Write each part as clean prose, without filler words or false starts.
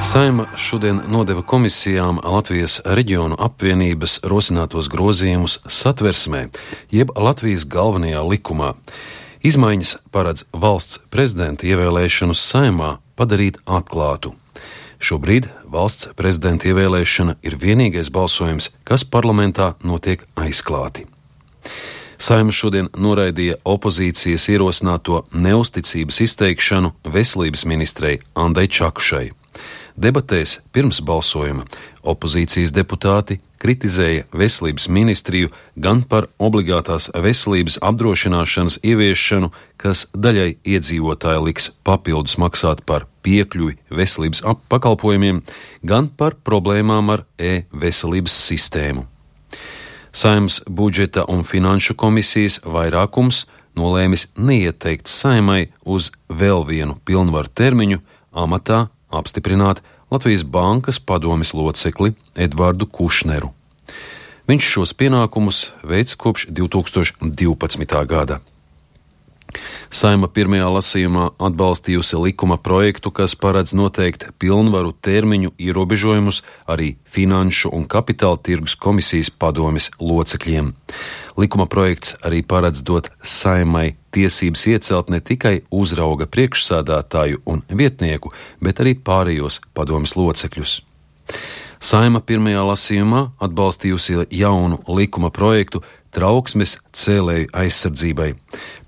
Saeima šodien nodeva komisijām Latvijas reģionu apvienības rosinātos grozījumus Satversmē, jeb Latvijas galvenajā likumā. Izmaiņas paredz valsts prezidenta ievēlēšanu Saeimā padarīt atklātu. Šobrīd valsts prezidenta ievēlēšana ir vienīgais balsojums, kas parlamentā notiek aizklāti. Saeima šodien noraidīja opozīcijas ierosināto neusticības izteikšanu veselības ministrei Andai Čakušai. Debatēs pirms balsojuma opozīcijas deputāti kritizēja veselības ministriju gan par obligātās veselības apdrošināšanas ieviešanu, kas daļai iedzīvotāji liks papildus maksāt par piekļuvi veselības pakalpojumiem, gan par problēmām ar e-veselības sistēmu. Saeimas budžeta un finanšu komisijas vairākums nolēmis neieteikt Saeimai uz vēl vienu pilnvaru termiņu amatā apstiprināt Latvijas bankas padomes locekli Edvardu Kušneru. Viņš šos pienākumus veic kopš 2012. gada. Saeima pirmajā lasījumā atbalstījusi likuma projektu, kas paredz noteikt pilnvaru termiņu ierobežojumus arī Finanšu un Kapitāla tirgus komisijas padomes locekļiem. Likuma projekts arī paredz dot Saeimai tiesības iecelt ne tikai uzrauga priekšsēdētāju un vietnieku, bet arī pārējos padomes locekļus. Saeima pirmajā lasījumā atbalstījusi jaunu likuma projektu trauksmes cēlēju aizsardzībai.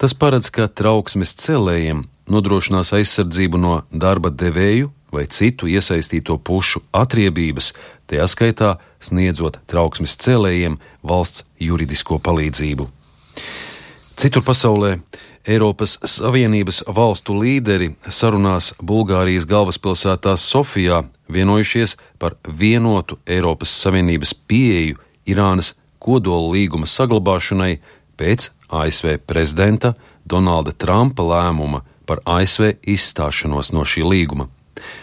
Tas paredz, ka trauksmes cēlējiem nodrošinās aizsardzību no darba devēju vai citu iesaistīto pušu atriebības, tajā skaitā sniedzot trauksmes cēlējiem valsts juridisko palīdzību. Citur pasaulē Eiropas Savienības valstu līderi sarunās Bulgārijas galvaspilsētā Sofijā vienojušies par vienotu Eiropas Savienības pieeju Irānas kodola līguma saglabāšanai pēc ASV prezidenta Donalda Trumpa lēmuma par ASV izstāšanos no šī līguma.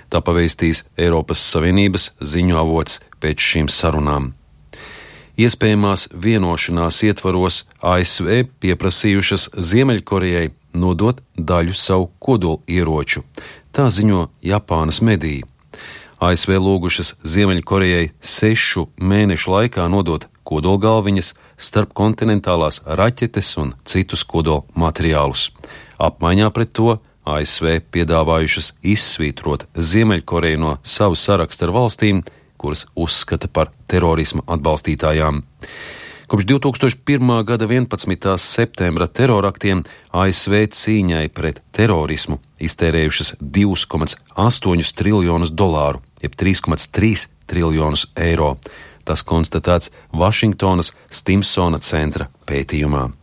Tā pavēstīs Eiropas Savienības ziņu avots pēc šīm sarunām. Iespējamās vienošanās ietvaros ASV pieprasījušas Ziemeļkorejai nodot daļu savu kodola ieroču. Tā ziņo Japānas mediji. ASV lūgušas Ziemeļkorejai 6 mēnešu laikā nodot kodolgalviņas, starpkontinentālās raķetes un citus kodola materiālus. Apmaiņā pret to ASV piedāvājušas izsvītrot Ziemeļkoreju no savu sarakstu ar valstīm, kuras uzskata par terorisma atbalstītājām. Kopš 2001. gada 11. septembra teroraktiem ASV cīņai pret terorismu iztērējušas $2,8 triljonus, jeb 3,3 triljonus eiro. Tas konstatēts Vašingtonas Stimsona centra pētījumā.